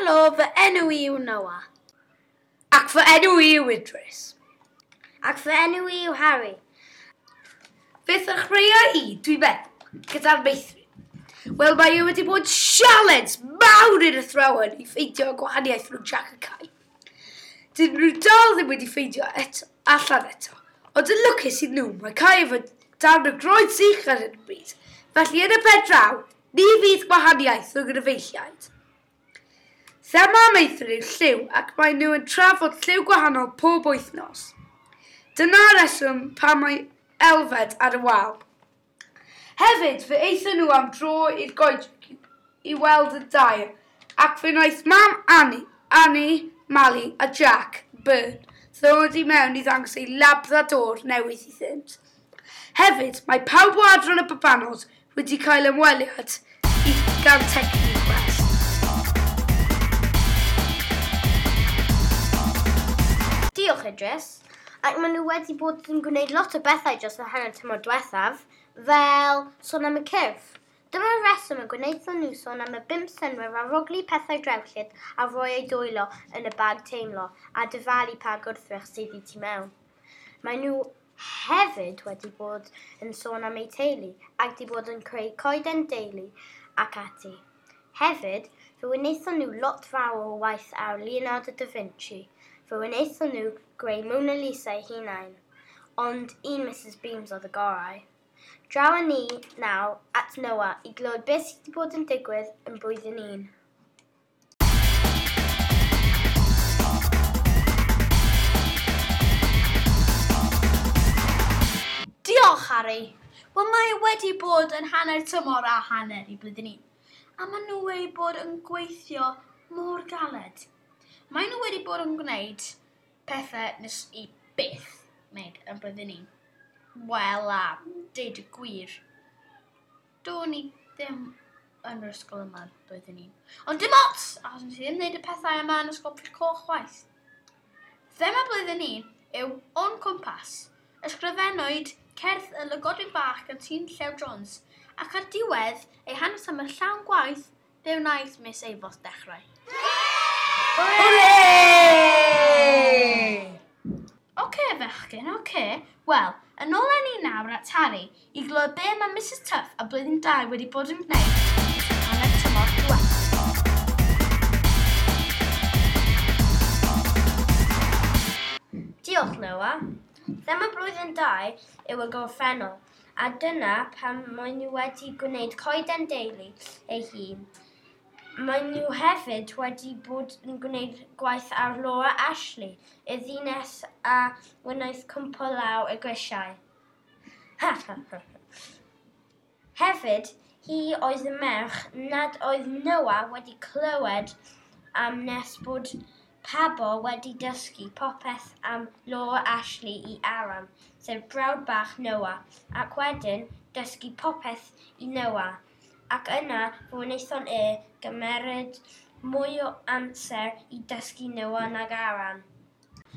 Helo, fy enw i yw Noah. Ac fy enw i yw Idris. Ac fy enw i yw Harry. Fe ddechreuai i, dwi'n meddwl, gyda'r meithrin. Wel, mae e wedi bod sialens mawr i'r athrawon i ffeindio gwahaniaeth rhwng Jack a Kai. Dyn nhw dal ddim wedi ffeindio eto, allan eto, ond yn lwcus i nhw, mae Kai efo darn o groen sych ar hyn o bryd. Felly yn y pen draw, ni fydd gwahaniaeth rhwng yr efeilliaid. Thema meithrin yw lliw ac mae nhw yn trafod lliw gwahanol pob wythnos. Dyna'r reswm pam mae Elfed ar y wal. Hefyd, fe aethon nhw am dro i'r goedwig i weld y dair ac fe wnaeth mam Annie, Annie, Mali a Jack Byrne ddod i mewn i ddangos ei labrador newydd iddynt. Hefyd, mae pawb o adran y babanod wedi cael ymweliad i gan Techniquest. Diolch, Idris. Ac maen nhw wedi bod yn gwneud lot o bethau dros y hanner tymor diwethaf, fel sôn am y cyrff. Dyma'r reswm y gwnaethon nhw sôn am y bump synnwyr arogli pethau drewllyd a rhoi eu dwylo yn y bag teimlo a dyfalu pa gwrthrych sydd i tu mewn. Maen nhw hefyd wedi bod yn sôn am eu teulu ac wedi bod yn creu coeden deulu ac ati. Hefyd, fe wnaethon nhw lot fawr o waith ar Leonardo da Vinci. Fe wnaethon nhw greu Mona Lisa eu hunain, ond un Mrs Beams oedd y gorau. Draw â ni nawr at Noah i glywed beth sydd wedi bod yn digwydd yn blwyddyn un. Diolch, Harry. Wel, mae wedi bod yn hanner tymor a hanner i blwyddyn un. A maen nhw wedi bod yn gweithio mor galed. Maen nhw wedi bod yn gwneud pethau nes i byth wneud yn blwyddyn un. Wel, a deud y gwir, do'n i ddim yn yr ysgol yma yn blwyddyn un. Ond dim ots, achos nes i ddim wneud y pethau yma yn ysgol Pwll Coch chwaith. Thema blwyddyn un yw O'n Cwmpas. Ysgrifennwyd cerdd y lygodyn bach gan Tîn Llew Jones, ac ar diwedd ei hanes am y llawn gwaith, fe wnaeth Miss Eifos dechrau. Hwrê! Oce, fechgyn, oce. Wel, yn ôl â ni nawr at Harry i glywed be mae Mrs Tuff a blwyddyn 2 wedi bod yn gwneud dros y hanner tymor diwethaf. Diolch, Noah. Thema blwyddyn 2 yw y gorffennol, a dyna pam maen nhw wedi gwneud coeden deulu ei hun. Maen nhw hefyd wedi bod yn gwneud gwaith ar Laura Ashley, y ddynes a wnaeth cwmpo lawr y grisiau. Hefyd, hi oedd y merch nad oedd Noah wedi clywed am nes bod Pabo wedi dysgu popeth am Laura Ashley i Aram, sef brawd bach Noah, ac wedyn dysgu popeth i Noah. Ac yna fe wnaethon e gymeryd mwy o amser i dysgu Noah nag Aram.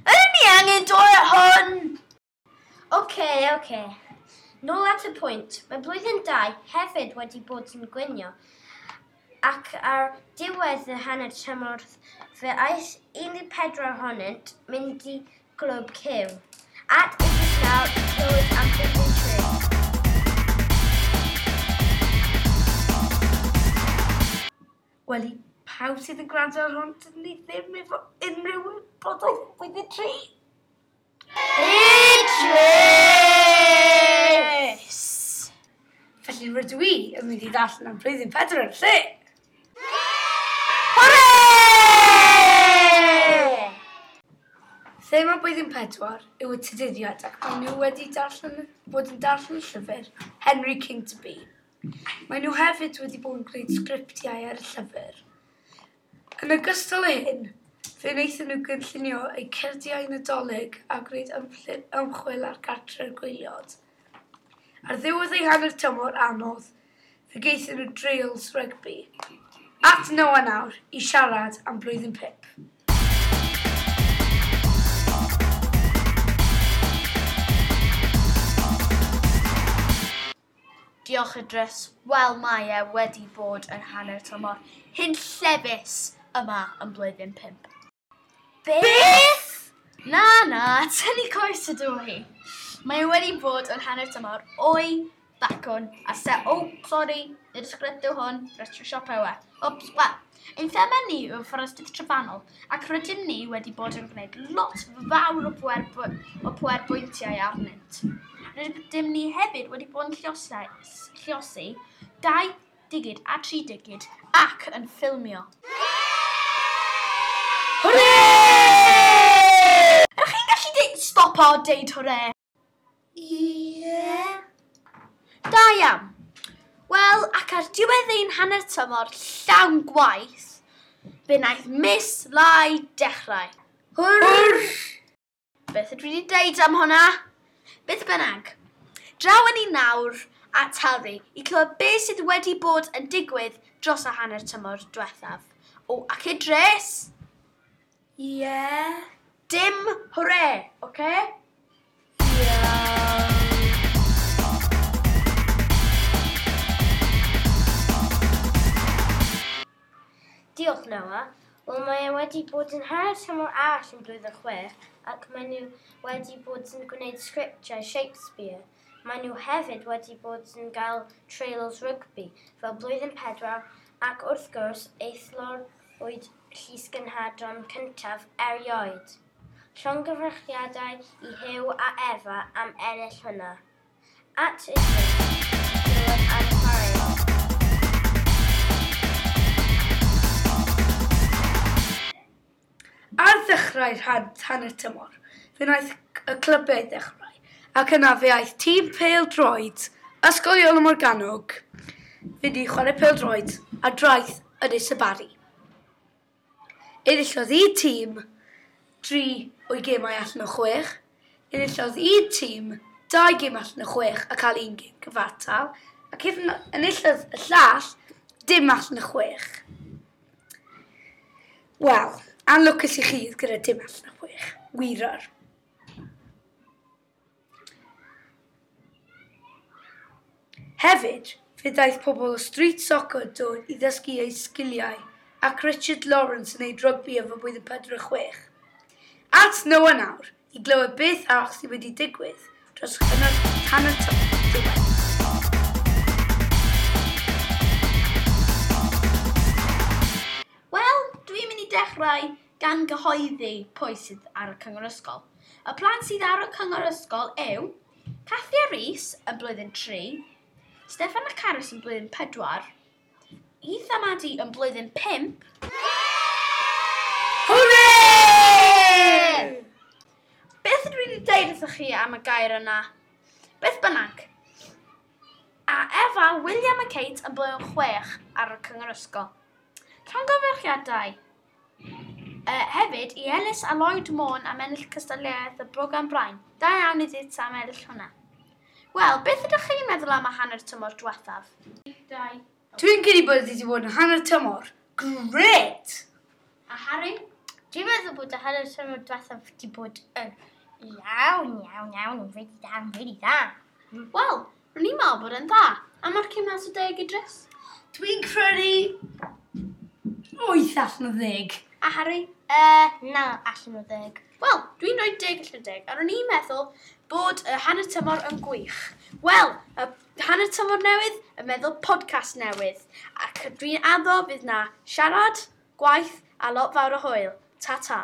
Ydyn ni angen dod at hwn? Oce, oce. Nôl at y pwynt, mae blwyddyn 2 hefyd wedi bod yn gwinio ac ar diwedd y hanner tymor fe aeth 14 ohonynt mynd i glwb Cyw. At Idris nawr i clywed am blwyddyn 3. Wel, i pawb sydd yn gwrando ar hwn, dyn ni ddim efo unrhyw wybodaeth am blwyddyn 3. Idris! Felly rydw i yn mynd i ddarllen am blwyddyn 4 yn lle. Hwrê! Thema blwyddyn 4 yw y tuduriad ac maen nhw wedi darllen, bod yn darllen llyfr Henry King to Be. Maen nhw hefyd wedi bod yn gwneud sgriptiau ar y llyfr. Yn ogystal â hyn, fe wnaethon nhw gynllunio eu cerdiau Nadolig a gwneud ymchwil ar gartre'r gwaelod. Ar ddiwedd eu hanner tymor anodd, fe gaethon nhw dreials rygbi. At Noah nawr i siarad am blwyddyn 5. Diolch Idris. Wel, mae e wedi bod yn hanner tymor hunllefus yma yn blwyddyn 5. Beth? Na, na, tynnu coes ydw i. Mae e wedi bod yn hanner tymor o'i bacwn a se... Oh, sorry, nid ysgrifennu yw hwn, restr siopa yw e. Oops, wel, ein thema ni yw fforestydd trofannol ac rydym ni wedi bod yn gwneud lot fawr o pwer-bwyntiau arnynt. Rydym ni hefyd wedi bod yn lluosi 2 digid a 3 digid ac yn ffilmio. Hwrê! Ydych chi'n gallu stopo deud hwrê? Ie. Da iawn. Wel, ac ar diwedd ein hanner tymor llawn gwaith, fe wnaeth Miss Lai dechrau. Hwrr! Beth ydw i wedi deud am hwnna? Beth bynnag, draw ni nawr at Harry i clywed beth sydd wedi bod yn digwydd dros y hanner tymor diwethaf. O, ac Idris! Ie. Dim hwrê, oce? Iawn. Diolch, Noah. Wel, mae e wedi bod yn hanner tymor arall yn blwyddyn 6 ac maen nhw wedi bod yn gwneud sgriptiau Shakespeare. Maen nhw hefyd wedi bod yn cael trials rygbi fel blwyddyn 4 ac wrth gwrs eithlorwyd llysgenhadon cyntaf erioed. Llongyfarchiadau i Huw a Efa am ennill hwnna. At Idris, glywed am chwaraeon. Ar ddechrau'r hanner tymor, fe wnaeth y clybiau ddechrau, ac yna fe aeth tîm pêl-droed Ysgol Iolo Morgannwg fynd i chwarae pêl-droed ar draeth Ynys y Barri. Enillodd un tîm 3 o'i gemau allan o 6, enillodd un tîm 2 gêm allan o 6 a cael un gêm cyfartal, ac enillodd y llall dim allan o 6. Wel, anlwcus i chi gyda dim allan o 6. Wirar. Hefyd, fe ddaeth pobl o street soccer dod i ddysgu eu sgiliau ac Richard Lawrence yn neud rygbi efo blwyddyn 4 a 6. At Noah nawr i glywed beth arall sydd wedi digwydd dros hanner tymor diwedd. Wel, dwi'n mynd i dechrau gan gyhoeddi pwy sydd ar y cyngor ysgol. Y plant sydd ar y cyngor ysgol yw Cathy a Rhys yn blwyddyn 3, Steffan a Carys yn blwyddyn 4, Ethan a Maddie yn blwyddyn 5. Hwrê! Beth ydw i wedi deud wrthych chi am y gair yna? Beth bynnag. A Efa, William a Kate yn blwyddyn 6 ar y cyngor ysgol. Llongyfarchiadau. Hefyd, i Ellis a Lloyd Môn am ennill cystadleuaeth y Brogan Brain. Da iawn iddynt am ennill hwnna. Wel, beth ydych chi'n meddwl am y hanner tymor diwethaf? Dwi'n credu bod wedi bod yn hanner tymor. Grêt! A Harry? Dwi'n meddwl bod y hanner tymor diwethaf wedi bod yn iawn, iawn, iawn, yn really da, yn really dda. Wel, rwy'n i'n meddwl bod yn dda. A mae'r cyn mas o 10 Idris? Dwi'n credu 8 allan o 10. A Harry? 9 allan o 10. Wel, dwi'n rhoi 10 allan o 10, a ro'n i'n meddwl bod y hanner tymor yn gwych. Wel, y hanner tymor newydd, y meddwl podcast newydd. Ac dwi'n addo fydd na siarad, gwaith a lot fawr o hwyl. Ta-ta.